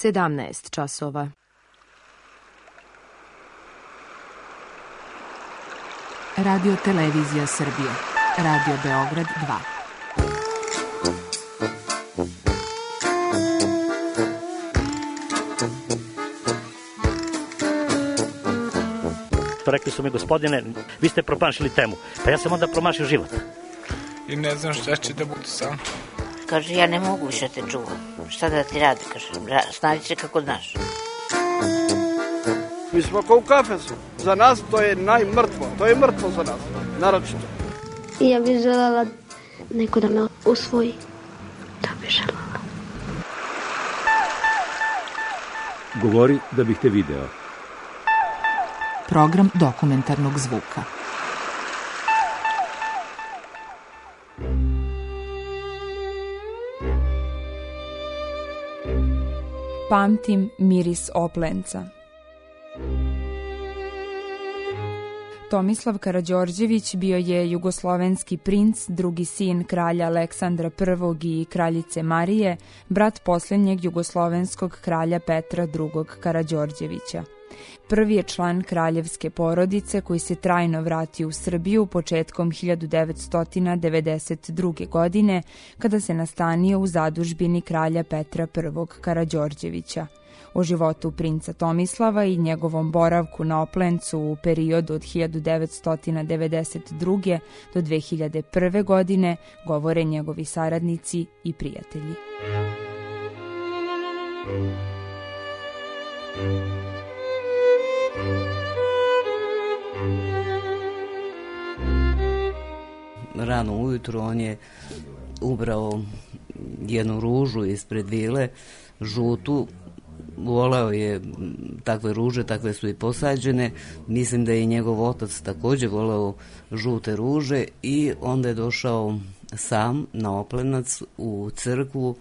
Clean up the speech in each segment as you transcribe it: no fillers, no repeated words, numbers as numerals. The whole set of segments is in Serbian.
17 časova. Radio Televizija Srbije. Radio Beograd 2. Rekli su mi, gospodine, vi ste promašili temu. Pa ja sam onda promašio život. I ne znam šta će da bude sam. Kaže, ja ne mogu više te čuvam. Šta da ti radi, kaže, snađi se kako znaš. Mi smo kao u kafesu. Za nas to je najmrtvo. To je mrtvo za nas, naročito. I ja bih želela neko da me usvoji. To bih želela. Govori da bih te video. Program dokumentarnog zvuka. Pamtim miris Oplenca. Tomislav Karađorđević bio je jugoslovenski princ, drugi sin kralja Aleksandra I i kraljice Marije, brat posljednjeg jugoslovenskog kralja Petra II Karađorđevića. Prvi je član kraljevske porodice koji se trajno vratio u Srbiju početkom 1992. godine kada se nastanio u zadužbini kralja Petra I Karađorđevića. O životu princa Tomislava i njegovom boravku na Oplencu u periodu od 1992. do 2001. godine govore njegovi saradnici i prijatelji. Rano ujutro on je ubrao jednu ružu ispred vile, žutu. Voleo je takve ruže, takve su i posađene. Mislim da je i njegov otac također voleo žute ruže i onda je došao sam na Oplenac u crkvu.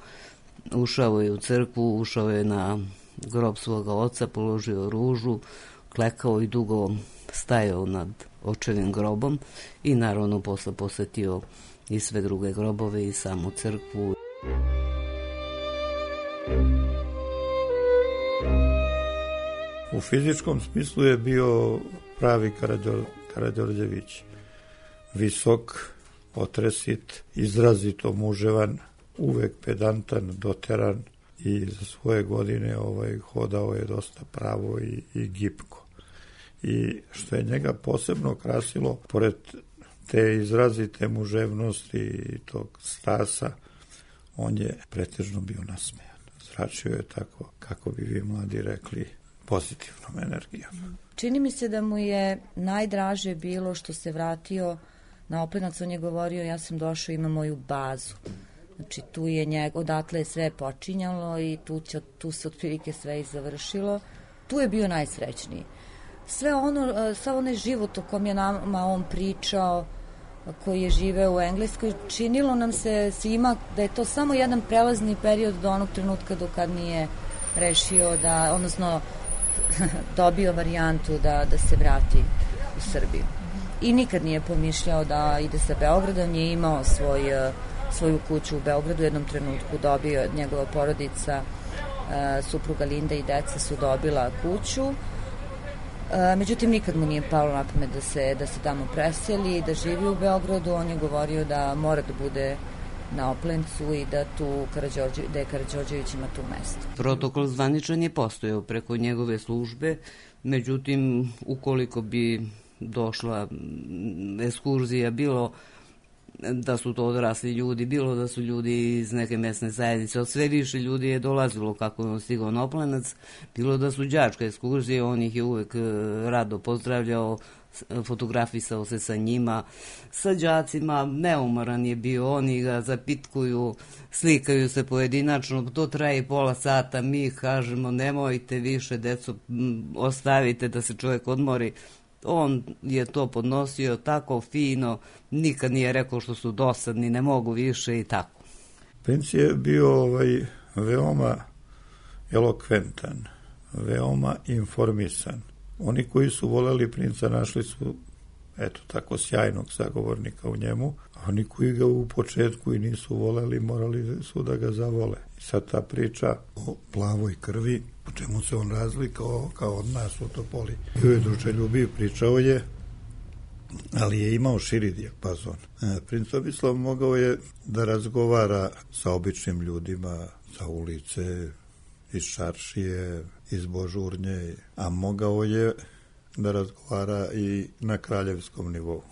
Ušao je u crkvu, ušao je na grob svoga oca, položio ružu, klekao i dugo stajao nad očevim grobom i naravno posle posetio i sve druge grobove i samu crkvu. U fizičkom smislu je bio pravi Karađorđević. Visok, otresit, izrazito muževan, uvek pedantan, doteran i za svoje godine hodao je dosta pravo i gipko. I što je njega posebno krasilo, pored te izrazite muževnosti i tog stasa, on je pretežno bio nasmejan. Zračio je tako, kako bi vi mladi rekli, pozitivnom energijom. Čini mi se da mu je najdraže bilo što se vratio na Oplenac. On je govorio, ja sam došao, imam moju bazu. Znači tu je odatle je sve počinjalo i tu se otprilike sve i završilo. Tu je bio najsrećniji. Sav onaj život o kom je nama on pričao, koji je živeo u Engleskoj, činilo nam se svima da je to samo jedan prelazni period do onog trenutka do kad nije rešio da, odnosno dobio varijantu da se vrati u Srbiju. I nikad nije pomišljao da ide sa Beogradom, je imao svoju kuću u Beogradu, u jednom trenutku dobio, njegova porodica, supruga Linda i deca su dobila kuću. Međutim, nikad mu nije palo na pamet da se tamo preseli, da živi u Beogradu. On je govorio da mora da bude na Oplencu i da je Karađorđević ima tu mesto. Protokol zvaničan je postojao preko njegove službe, međutim, ukoliko bi došla ekskurzija, bilo da su to odrasli ljudi, bilo da su ljudi iz neke mesne zajednice, od sve više ljudi je dolazilo kako je on stigao na Oplenac, bilo da su đačke ekskurzije, on ih je uvek rado pozdravljao, fotografisao se sa njima, sa đacima, neumoran je bio, oni ga zapitkuju, slikaju se pojedinačno, to traje pola sata, mi kažemo nemojte više, deco, ostavite da se čovjek odmori. On je to podnosio tako fino, nikad nije rekao što su dosadni, ne mogu više i tako. Princ je bio veoma elokventan, veoma informisan. Oni koji su voleli princa našli su eto tako sjajnog sagovornika u njemu, a oni koji ga u početku i nisu voleli, morali su da ga zavole. I sad ta priča o plavoj krvi, po čemu se on razlikao kao od nas u Topoli. Bio je druželjubiv, pričao je, ali je imao širi dijapazon. Princ Tomislav mogao je da razgovara sa običnim ljudima, sa ulice, iz Šaršije, iz Božurnje, a mogao je da razgovara i na kraljevskom nivou.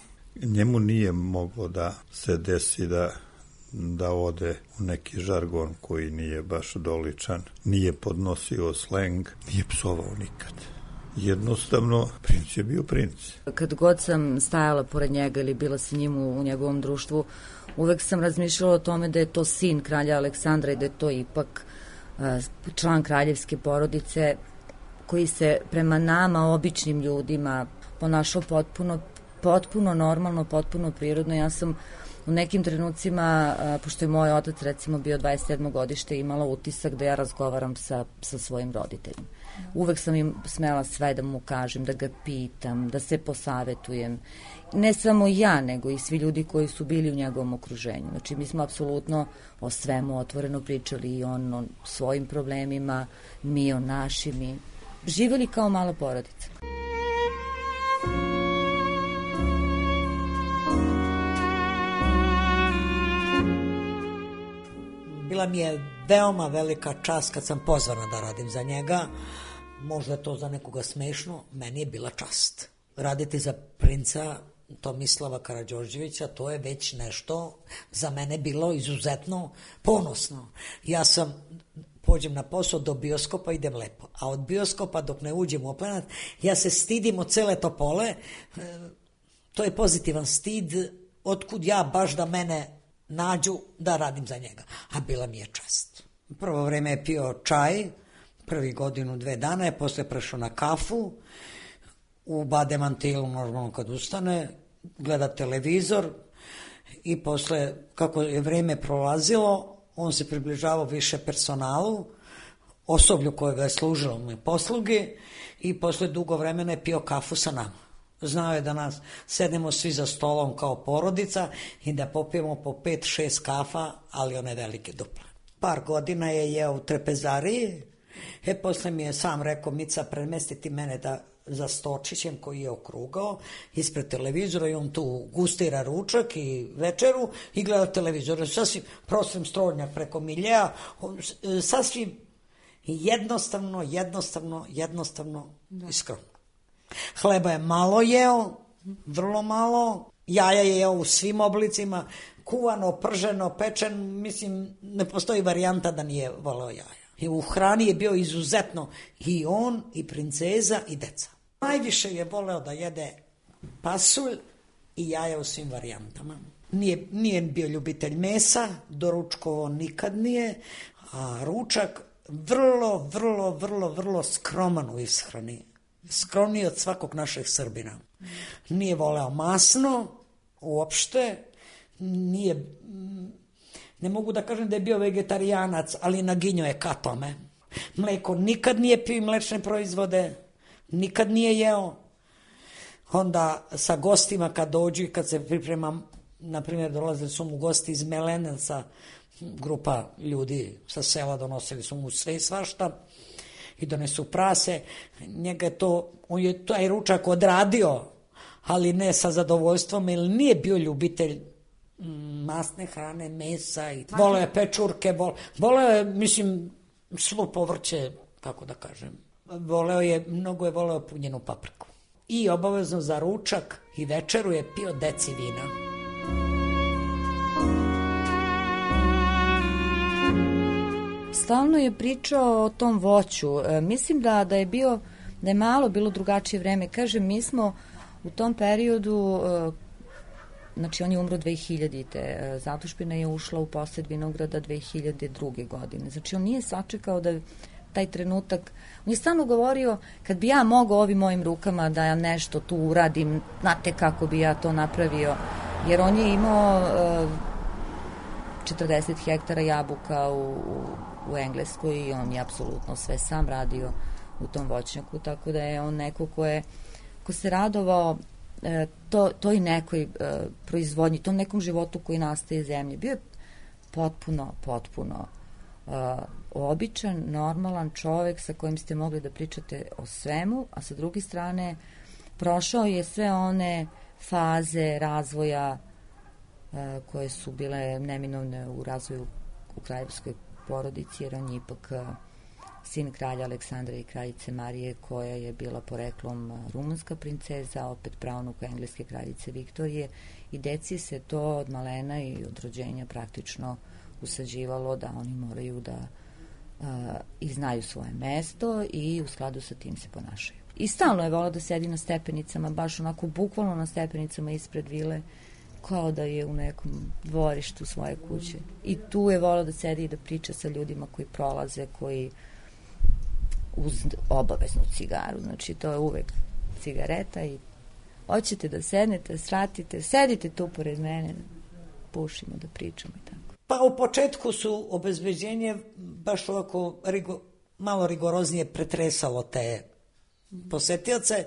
Njemu nije moglo da se desi da ode u neki žargon koji nije baš doličan, nije podnosio sleng, nije psovao nikad. Jednostavno, princ je bio princ. Kad god sam stajala pored njega ili bila sa njim u njegovom društvu, uvek sam razmišljala o tome da je to sin kralja Aleksandra i da je to ipak član kraljevske porodice koji se prema nama, običnim ljudima, ponašao potpuno normalno, potpuno prirodno. Ja sam u nekim trenucima, pošto je moj otac recimo bio 27. godište, imala utisak da ja razgovaram sa svojim roditeljima. Uvek sam im smela sve da mu kažem, da ga pitam, da se posavetujem. Ne samo ja, nego i svi ljudi koji su bili u njegovom okruženju. Znači, mi smo apsolutno o svemu otvoreno pričali, i on o svojim problemima, mi o našim, živjeli kao mala porodica. Bila mi je veoma velika čast kad sam pozvana da radim za njega. Možda je to za nekoga smešno, meni je bila čast. Raditi za princa Tomislava Karađorđevića, to je već nešto za mene bilo izuzetno ponosno. Ja pođem na posao, do bioskopa idem lepo, a od bioskopa dok ne uđem u Oplenac, ja se stidim od cele Topole. To je pozitivan stid, otkud ja baš da mene nađu da radim za njega, a bila mi je čast. Prvo vreme je pio čaj, prvi godinu, 2 dana je, posle prešao na kafu, u bademantilu normalno kad ustane, gleda televizor i posle, kako je vreme prolazilo, on se približavao više personalu, osoblju kojega je služilo mu posluge, i posle dugo vremena je pio kafu sa nama. Znao je da nas sedemo svi za stolom kao porodica i da popijemo po 5-6 kafa, ali one velike duple. Par godina je jeo u trpezariji, posle mi je sam rekao: Mica, premestiti mene za Stočićem koji je okrugao ispred televizora, i on tu gustira ručak i večeru i gleda televizor. Sasvim prostim strodnjak preko miljeja, sasvim jednostavno iskreno. Hleba je malo jeo, vrlo malo, jaja je jeo u svim oblicima, kuvano, prženo, pečen, mislim, ne postoji varijanta da nije voleo jaja. I u hrani je bio izuzetno i on, i princeza, i deca. Najviše je voleo da jede pasulj i jaja u svim varijantama. Nije bio ljubitelj mesa, doručkovo nikad nije, a ručak vrlo skroman u ishrani. Skromniji od svakog našeg Srbina. Nije voleo masno, uopšte, ne mogu da kažem da je bio vegetarijanac, ali naginjao je ka tome. Mleko nikad nije pio, mlečne proizvode, nikad nije jeo. Onda sa gostima kad dođu i kad se priprema, na primjer dolazili su mu gosti iz Melenaca, grupa ljudi sa sela, donosili su mu sve i svašta, i donesu prase, on je taj ručak odradio, ali ne sa zadovoljstvom, jer nije bio ljubitelj masne hrane, mesa, i voleo je pečurke, voleo je, mislim, svo povrće, kako da kažem, mnogo je voleo punjenu papriku. I obavezno za ručak i večeru je pio deci vina. Stalno je pričao o tom voću. Mislim da je malo bilo drugačije vreme. Kažem, mi smo u tom periodu, znači on je umro 2000. Zatušbina je ušla u posed vinograda 2002. godine. Znači on nije sačekao da taj trenutak, on je stalno govorio: kad bi ja mogao ovim mojim rukama da ja nešto tu uradim, znate kako bi ja to napravio, jer on je imao 40 hektara jabuka u Engleskoj i on je apsolutno sve sam radio u tom voćnjaku, tako da je on neko ko se radovao toj nekoj proizvodnji, tom nekom životu koji nastaje zemlje. Bio je potpuno običan, normalan čovek sa kojim ste mogli da pričate o svemu, a sa druge strane prošao je sve one faze razvoja koje su bile neminovne u razvoju u kraljevskoj porodici, jer on je ipak sin kralja Aleksandra i kraljice Marije, koja je bila poreklom rumunska princeza, opet pravnuka engleske kraljice Viktorije, i deci se to od malena i od rođenja praktično usađivalo da oni moraju da i znaju svoje mesto i u skladu sa tim se ponašaju. I stalno je volao da sedi na stepenicama, baš onako bukvalno na stepenicama ispred vile, kao da je u nekom dvorištu svoje kuće. I tu je volao da sedi i da priča sa ljudima koji prolaze, koji uz obaveznu cigaru. Znači, to je uvek cigareta i hoćete da sednete, sratite, sedite tu pored mene, pušimo, da pričamo i tako. Pa u početku su obezbeđenje baš ovako malo rigoroznije pretresalo te posetioce,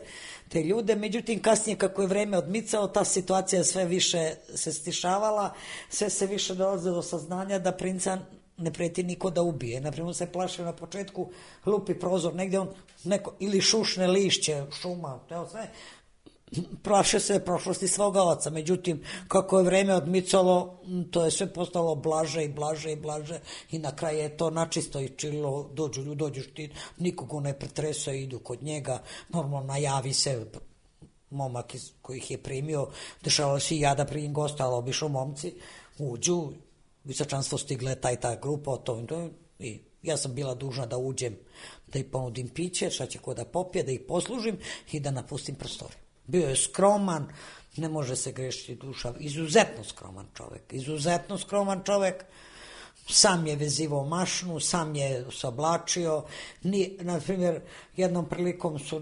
te ljude, međutim kasnije kako je vreme odmicalo, ta situacija sve više se stišavala, sve se više dolaze do saznanja da princa ne preti niko da ubije. Naprimjer, se plašio na početku, lupi prozor negdje, on neko, ili šušne lišće, šuma, teo sve, plaše se prošlosti svoga oca. Međutim, kako je vreme odmicalo, to je sve postalo blaže i blaže i blaže i na kraju je to načisto i čilo, dođeš ti, nikoga ne pretresa, idu kod njega, normalno najavi se momak koji ih je primio, dešavalo se i ja da primim gosta, ali obišao momci, uđu, visočanstvo stigle ta grupa, i ja sam bila dužna da uđem, da ih ponudim piće, šta će ko da popije, da ih poslužim i da napustim prostoriju. Bio je skroman, ne može se grešiti duša, izuzetno skroman čovek, sam je vezivao mašnu, sam je se oblačio, na primjer, jednom prilikom su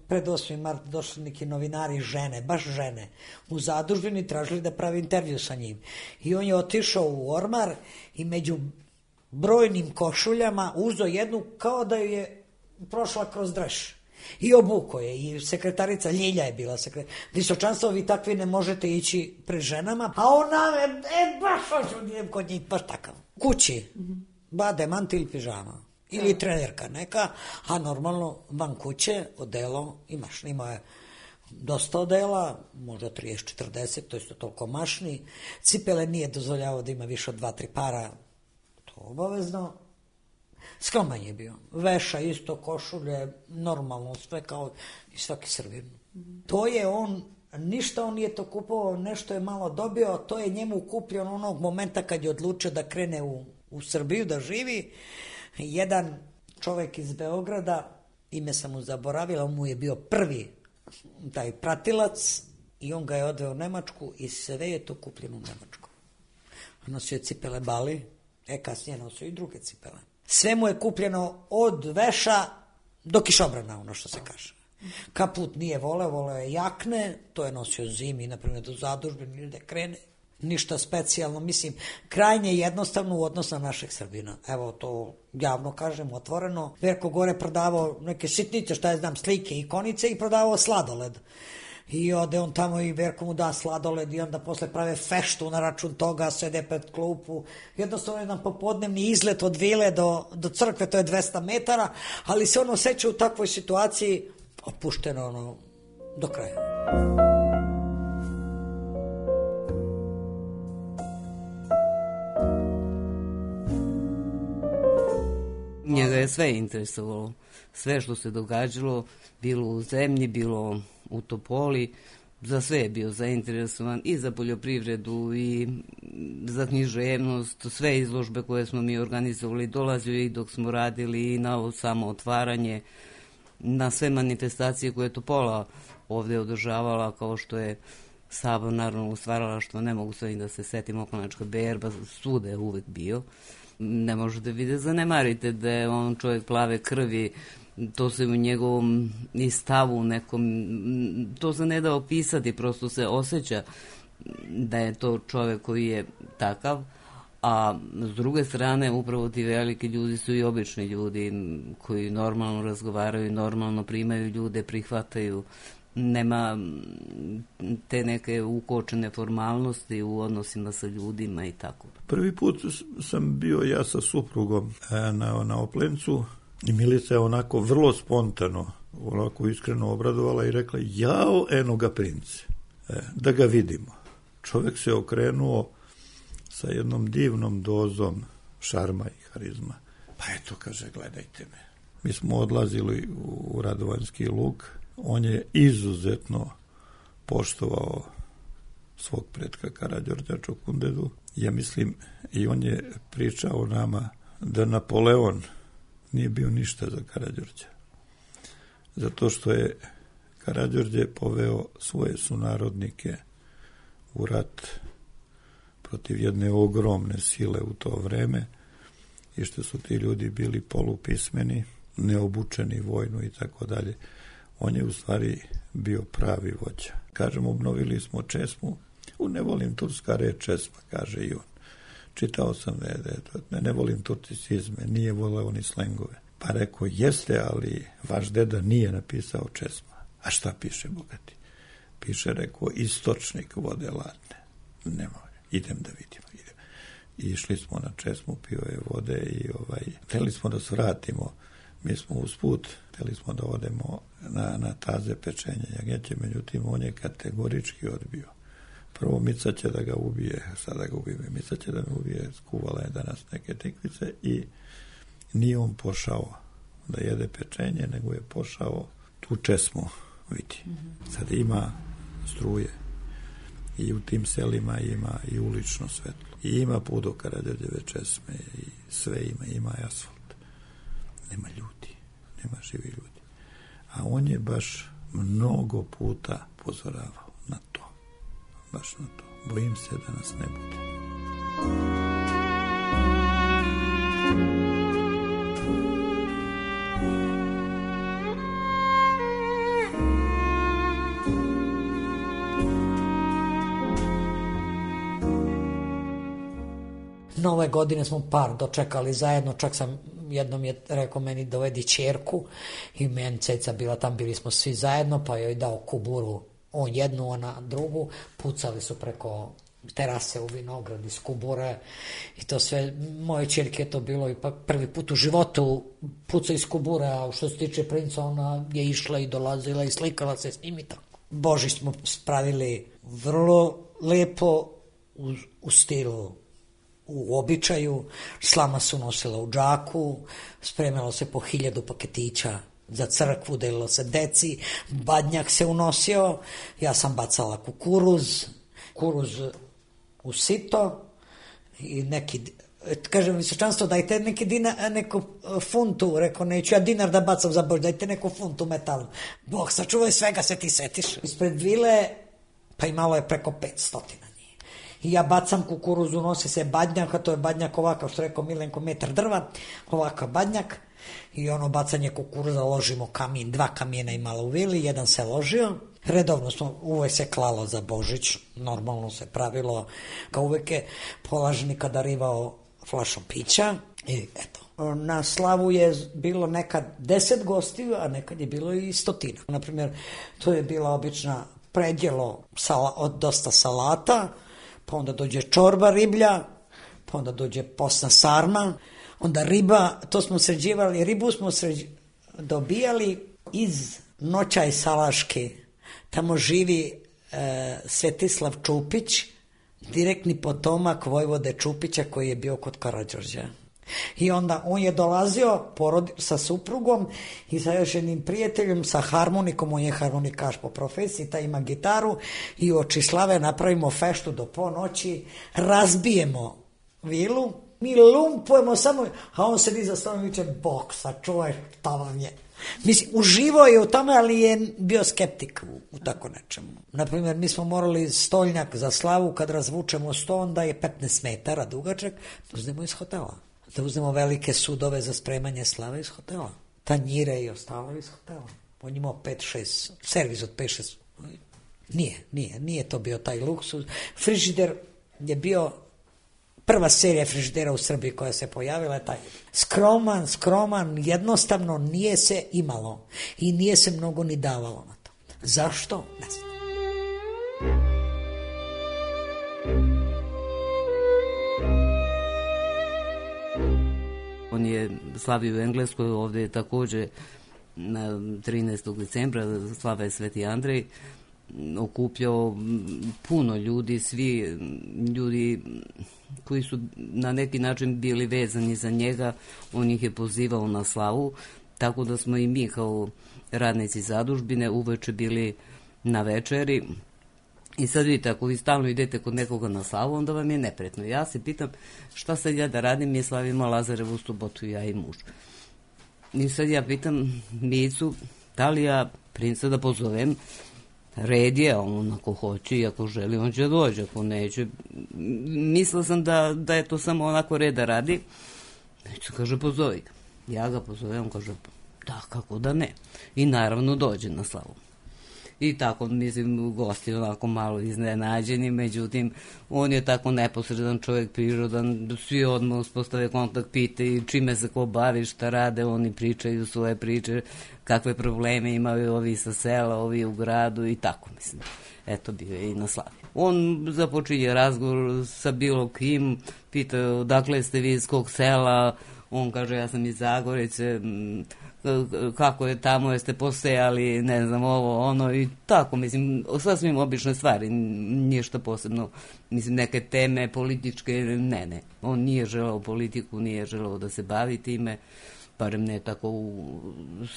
pred 8. mart došli neki novinari, žene, baš žene, u zadužbini tražili da pravi intervju sa njim. I on je otišao u ormar i među brojnim košuljama uzeo jednu kao da je prošla kroz dreš. I obuko je, i sekretarica Ljilja je bila sekretarica. Visočanstvo, vi takvi ne možete ići pred ženama, a ona, baš hoću, idem kod njih, baš takav. Kući, bade, mantil ili pižama, ili trenerka neka, a normalno van kuće, odelo, imaš, imao je dosta odela, možda 30-40, to isto toliko mašni, cipele nije dozvoljavao da ima više od 2-3 para, to obavezno. Skroman je bio. Veša isto, košulje, normalno, sve kao i svaki Srbin. To je on, ništa on nije to kupovao, nešto je malo dobio, to je njemu kupljeno onog momenta kad je odlučio da krene u Srbiju, da živi. Jedan čovek iz Beograda, ime sam mu zaboravila, on mu je bio prvi taj pratilac i on ga je odveo u Nemačku i sve je to kupljeno u Nemačku. Nosio je cipele Bali, kasnije nosio i druge cipele. Sve mu je kupljeno od veša do kišobrana, ono što se kaže. Kaput nije voleo je jakne, to je nosio zimi, naprimjer do zadužbine ili da krene. Ništa specijalno, mislim, krajnje jednostavno u odnos na našeg Srbina. Evo to javno kažem, otvoreno. Verko gore prodavao neke sitnice, šta ja znam, slike, ikonice i prodavao sladoled. I ode on tamo i Verko mu da sladoled i onda posle prave feštu na račun toga, sede pred klupu. Jednostavno jedan popodnevni izlet od vile do crkve, to je 200 metara, ali se on osjeća u takvoj situaciji opušteno do kraja. Njega je sve interesovalo, sve što se događalo, bilo u zemlji, bilo u Topoli, za sve je bio zainteresovan, i za poljoprivredu i za književnost, sve izložbe koje smo mi organizovali, dolazio i dok smo radili i na ovo samo otvaranje, na sve manifestacije koje je Topola ovde održavala, kao što je Sabor narodnog stvaralaštva, ne mogu sve da se setim, Okonačka berba, svuda je uvek bio. Ne možete vidjeti, zanemarite da je on čovjek plave krvi, to se u njegovom i stavu nekom, to se ne da opisati, prosto se osjeća da je to čovjek koji je takav, a s druge strane upravo ti veliki ljudi su i obični ljudi koji normalno razgovaraju, normalno primaju ljude, prihvataju nema te neke ukočene formalnosti u odnosima sa ljudima i tako. Prvi put sam bio ja sa suprugom na Oplencu i Milica je onako vrlo spontano, onako iskreno obradovala i rekla, jao, eno ga prince, da ga vidimo. Čovjek se okrenuo sa jednom divnom dozom šarma i harizma. Pa eto, kaže, gledajte me. Mi smo odlazili u Radovanjski lug. On je izuzetno poštovao svog pretka Karađorđa Čokundedu. Ja mislim, i on je pričao nama da Napoleon nije bio ništa za Karađorđa. Zato što je Karađorđe poveo svoje sunarodnike u rat protiv jedne ogromne sile u to vreme i što su ti ljudi bili polupismeni, neobučeni vojno i tako dalje. On je u stvari bio pravi vođa. Kažem, obnovili smo česmu. Ne volim turska reč česma, kaže i on. Čitao sam ne volim turcizme, nije voleo ni slengove. Pa rekao, jeste, ali vaš deda nije napisao česma. A šta piše, bogati? Piše, rekao, istočnik vode ladne. Nemoj, idem da vidimo. I išli smo na česmu, pio je vode i hteli smo da svratimo. Mi smo usput, hteli smo da odemo na taze pečenja jagnjeće, međutim, on je kategorički odbio. Prvo, Mica će da ga ubije, sada ga ubije, Mica će da me ubije, skuvala je danas neke tikvice i nije on pošao da jede pečenje, nego je pošao tu česmu, vidi. Sad ima struje i u tim selima ima i ulično svetlo. I ima put do Karađorđeve česme i sve ima i asfalt. Nema ljudi, nema živi ljudi. A on je baš mnogo puta upozoravao na to. Baš na to. Bojim se da nas ne bude. Nove godine smo par dočekali zajedno, čak sam jednom je rekao meni dovedi ćerku i meni ceca bila tam, bili smo svi zajedno, pa joj dao kuburu, on jednu, ona drugu, pucali su preko terase u vinograd iz kubure i to sve, moje ćerke je to bilo ipak prvi put u životu puca iz kubure, a što se tiče princa, ona je išla i dolazila i slikala se s njim i tako. Božić smo spravili vrlo lepo u stilu, u običaju, slama su nosila u džaku, spremalo se po 1000 paketića za crkvu, delilo se deci, badnjak se unosio, ja sam bacala kukuruz u sito i neki, kažem visočanstvo, dajte neku funtu, rekao, neću ja dinar da bacam za Bož, dajte neku funtu metalnu. Bog sačuvaj, svega se ti setiš. Ispred vile, pa imalo je preko 500. I ja bacam kukuruz, unosi se badnjak, a to je badnjak ovakav, što rekao Milenko, metar drva, ovakav badnjak, i ono bacanje kukuruza, ložimo kamin, 2 kamijena imalo u vili, jedan se ložio, redovno smo, uvek se klalo za Božić, normalno se pravilo, kao uvek je polažnika darivao flašom pića, i eto. Na slavu je bilo nekad 10 gostiju, a nekad je bilo i 100. Naprimjer, to je bila obična predjelo od dosta salata, pa onda dođe čorba riblja, pa onda dođe posna sarma, onda riba, to smo sređivali, ribu smo dobijali iz Noćaj Salaške, tamo živi Svetislav Čupić, direktni potomak vojvode Čupića koji je bio kod Karađorđa. I onda on je dolazio sa suprugom i sa još jednim prijateljem, sa harmonikom, on je harmonikaš po profesiji, taj ima gitaru, i u oči slave napravimo feštu do ponoći, razbijemo vilu, mi lumpujemo samo, a on sedi za stolom i viče, Bog sačuvaj, šta vam je. Mislim, uživao je u tome, ali je bio skeptik u tako nečemu. Naprimjer, mi smo morali stolnjak za slavu, kad razvučemo sto, onda je 15 metara dugačak, da uzmemo iz hotela. Da uzmemo velike sudove za spremanje slave iz hotela. Tanjire i ostalo iz hotela. On imao 5-6, servis od 5-6. Nije to bio taj luksuz. Frižider je bio prva serija frižidera u Srbiji koja se pojavila, je taj skroman, jednostavno nije se imalo i nije se mnogo ni davalo na to. Zašto? Ne znam. On je slavio u Engleskoj, ovde je takođe na 13. decembra, slava je Sveti Andrej, okupljao puno ljudi, svi ljudi koji su na neki način bili vezani za njega, on ih je pozivao na slavu, tako da smo i mi kao radnici zadužbine uveče bili na večeri. I sad vidite, ako vi stalno idete kod nekoga na slavu, onda vam je nepretno. Ja se pitam šta sad ja da radim, mi slavimo Lazarevu subotu, ja i muž. I sad ja pitam Micu, da li ja princa da pozovem, red je, on ako hoće i ako želi, on će doći, ako neće. Mislila sam da je to samo onako reda radi. Mica kaže, pozovi ga. Ja ga pozovem, on kaže, da, kako da ne. I naravno dođe na slavu. I tako, mislim, gosti onako malo iznenađeni, međutim, on je tako neposredan čovjek, prirodan, svi odmah uspostave kontakt, pitaju čime se ko bavi, šta rade, oni pričaju svoje priče, kakve probleme imaju ovi sa sela, ovi u gradu i tako, mislim. Eto, bio je i na slavi. On započinje razgovor sa bilo kim, pitaju odakle ste vi iz kog sela, on kaže ja sam iz Zagorice, kako je tamo, jeste posejali, ne znam, ovo, ono i tako, mislim, sasvim obične stvari, ništa posebno, mislim, neke teme političke, ne, on nije želeo politiku, nije želeo da se bavi time, barem ne tako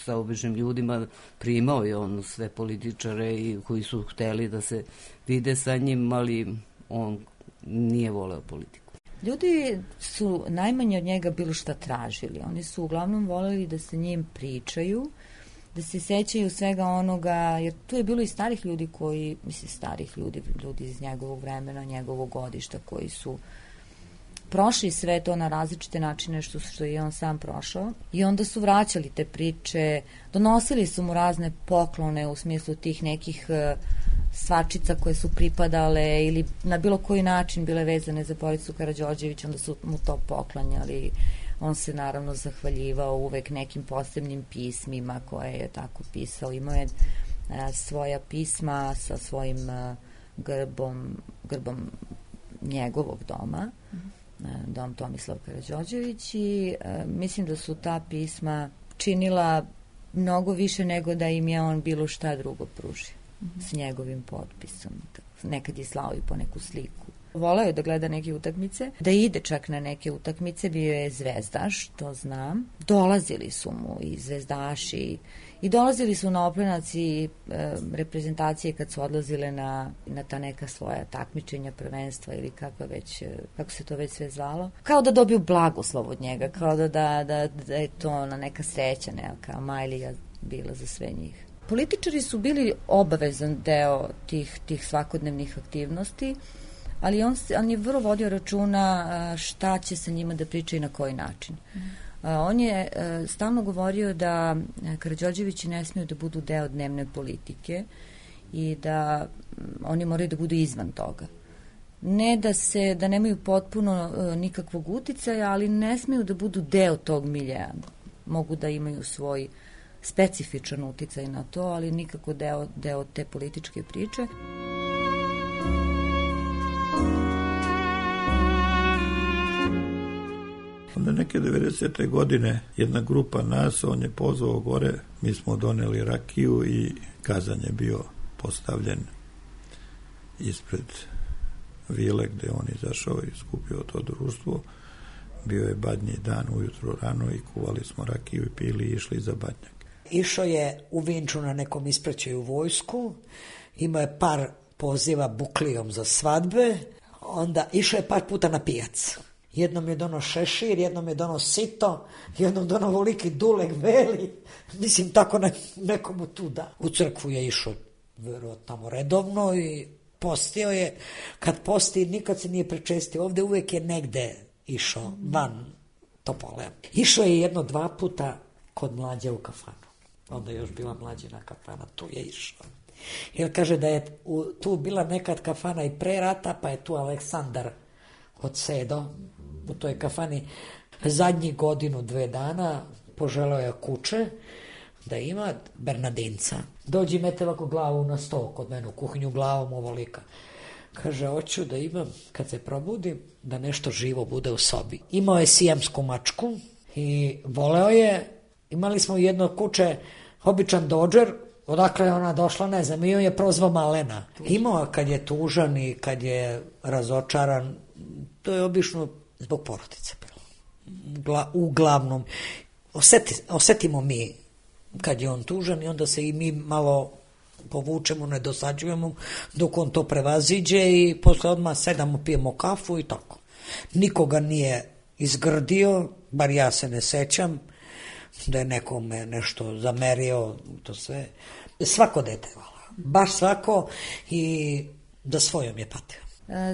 sa običnim ljudima, primao je on sve političare i koji su hteli da se vide sa njim, ali on nije voleo politiku. Ljudi su najmanje od njega bilo šta tražili. Oni su uglavnom voleli da se njim pričaju, da se sećaju svega onoga, jer tu je bilo i starih ljudi koji, mislim starih ljudi iz njegovog vremena, njegovog godišta, koji su prošli sve to na različite načine što je on sam prošao i onda su vraćali te priče, donosili su mu razne poklone u smislu tih nekih svačica koje su pripadale ili na bilo koji način bile vezane za Boricu Karađorđević, onda su mu to poklanjali. On se naravno zahvaljivao uvek nekim posebnim pismima koje je tako pisao. Imao je svoja pisma sa svojim grbom njegovog doma, dom Tomislav Karađorđević, i mislim da su ta pisma činila mnogo više nego da im je on bilo šta drugo pružio s njegovim potpisom. Nekad je slao i po neku sliku. Voleo je da gleda neke utakmice, da ide čak na neke utakmice, bio je zvezdaš, to znam. Dolazili su mu i zvezdaši i dolazili su na Oplenac i reprezentacije kad su odlazile na ta neka svoja takmičenja, prvenstva ili kako se to već sve zvalo. Kao da dobiju blagoslov od njega, kao da je to na neka sreća, neka majlija bila za sve njih. Političari su bili obavezan deo tih svakodnevnih aktivnosti, ali on je vrlo vodio računa šta će se njima da priča i na koji način. On je stalno govorio da Karađorđevići ne smiju da budu deo dnevne politike i da oni moraju da budu izvan toga. Ne da nemaju potpuno nikakvog uticaja, ali ne smiju da budu deo tog miljeja. Mogu da imaju svoj specifičan uticaj na to, ali nikako deo te političke priče. Onda neke 90. godine jedna grupa nas, on je pozvao gore, mi smo doneli rakiju i kazan je bio postavljen ispred vile gde on izašao i skupio to društvo. Bio je badnji dan, ujutro rano i kuvali smo rakiju i pili i išli za badnjak. Išao je u Vinču na nekom ispraćaju vojsku, imao je par poziva buklijom za svadbe, onda išao je par puta na pijac. Jednom je dono šešir, jednom je dono sito, jednom dono voliki duleg veli, mislim tako nekomu tu da. U crkvu je išao verovatno tamo redovno i postio je, kad posti nikad se nije prečestio, ovde uvek je negde išao van Topole. Išao je 1-2 puta kod mlađe u kafanu. Onda je još bila mlađina kafana, tu je išao. Jer kaže da je tu bila nekad kafana i pre rata, pa je tu Aleksandar odsedo u toj kafani zadnjih 1-2 dana, poželeo je kuće, da ima Bernardinca. Dođi, mete ovako glavu na sto kod mene u kuhinju, glavom ovolika. Kaže, hoću da imam, kad se probudim, da nešto živo bude u sobi. Imao je sijamsku mačku i voleo je, imali smo jedno kuće, običan Dodger, odakle je ona došla, ne znam, i on je prozvao Malena. Imao kad je tužan i kad je razočaran, to je obično zbog porodice bilo. Uglavnom, osetimo mi kad je on tužan i onda se i mi malo povučemo, ne dosađujemo dok on to prevaziđe i posle odmah sedamo, pijemo kafu i tako. Nikoga nije izgrdio, bar ja se ne sećam da je nekome nešto zamerio, to sve. Svako dete, baš svako, i da svojom je patio.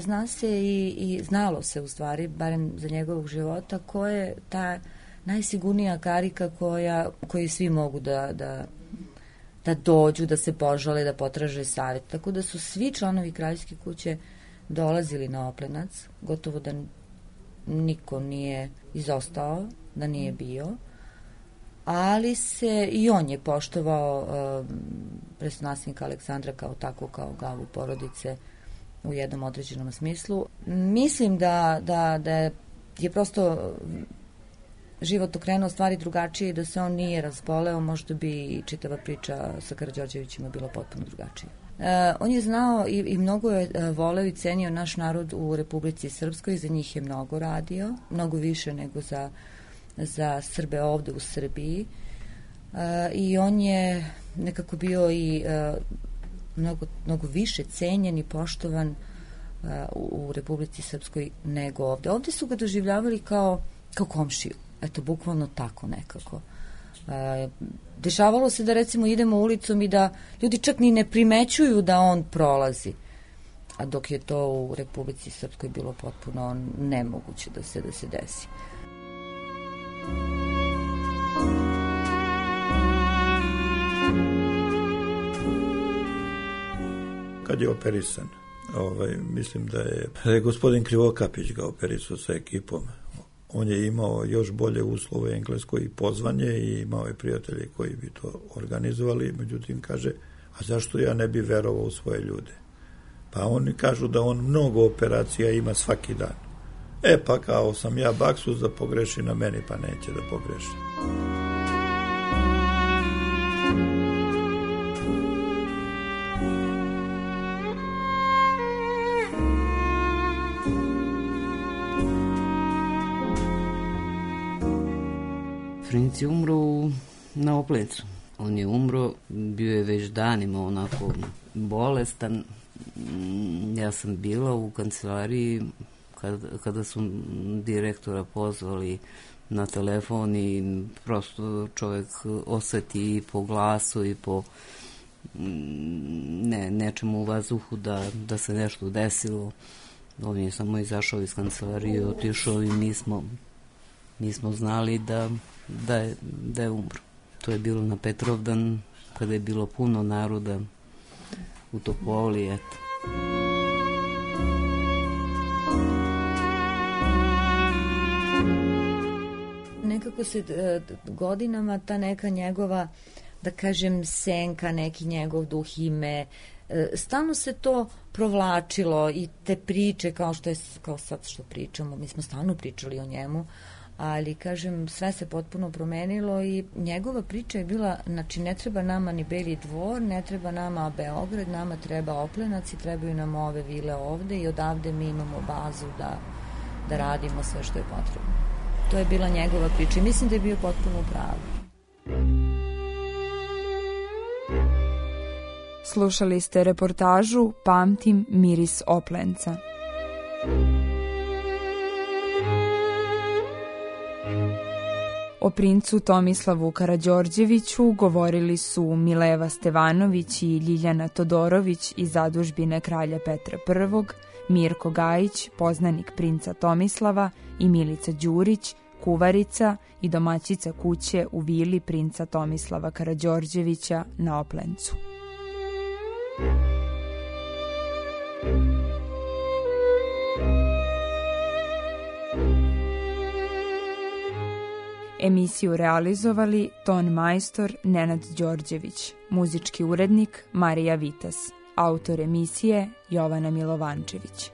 Zna se i znalo se u stvari, barem za njegovog života, ko je ta najsigurnija karika koji svi mogu da dođu, da se požale, da potraže savjet. Tako da su svi članovi kraljevske kuće dolazili na Oplenac, gotovo da niko nije izostao, da nije bio, ali se i on je poštovao prestolonaslednika Aleksandra kao tako, kao glavu porodice u jednom određenom smislu. Mislim da je prosto život okrenuo stvari drugačije i da se on nije razboleo, možda bi čitava priča sa Karađorđevićima bila potpuno drugačija. On je znao i mnogo je voleo i cenio naš narod u Republici Srpskoj, za njih je mnogo radio, mnogo više nego za Srbe ovde u Srbiji. I on je nekako bio i mnogo više cenjen i poštovan u Republici Srpskoj nego ovde. Ovde su ga doživljavali kao komšiju. Eto, bukvalno tako nekako. Dešavalo se da recimo idemo ulicom i da ljudi čak ni ne primećuju da on prolazi. A dok je to u Republici Srpskoj bilo potpuno nemoguće da se desi. Kad je operisan, mislim da je gospodin Krivokapić ga operisao sa ekipom. On je imao još bolje uslove u Engleskoj i pozvanje i imao je prijatelje koji bi to organizovali, međutim kaže, a zašto ja ne bi verovao u svoje ljude? Pa oni kažu da on mnogo operacija ima svaki dan. Pa kao sam ja baksus da pogreši na meni, pa neće da pogreši. Princ je umro na Oplencu. On je umro, bio je već danima onako bolestan. Ja sam bila u kancelariji kada su direktora pozvali na telefon i prosto čovjek oseti i po glasu i po nečemu u vazduhu da se nešto desilo. On je samo izašao iz kancelarije, otišao i mi smo znali da je umro. To je bilo na Petrovdan, kada je bilo puno naroda u Topoli, eto. Nekako se godinama ta neka njegova, da kažem, senka, neki njegov duh, ime, stalno se to provlačilo i te priče kao sad što pričamo, mi smo stalno pričali o njemu, ali, kažem, sve se potpuno promenilo i njegova priča je bila, znači, ne treba nama ni Beli dvor, ne treba nama Beograd, nama treba Oplenac i trebaju nam ove vile ovde i odavde mi imamo bazu da radimo sve što je potrebno. To je bila njegova priča i mislim da je bio potpuno pravo. Slušali ste reportažu Pamtim miris Oplenca. O princu Tomislavu Karađorđeviću govorili su Mileva Stevanović i Ljiljana Todorović iz zadužbine kralja Petra I, Mirko Gajić, poznanik princa Tomislava, i Milica Đurić, kuvarica i domaćica kuće u vili princa Tomislava Karađorđevića na Oplencu. Emisiju realizovali ton majstor Nenad Đorđević, muzički urednik Marija Vitas, autor emisije Jovana Milovančević.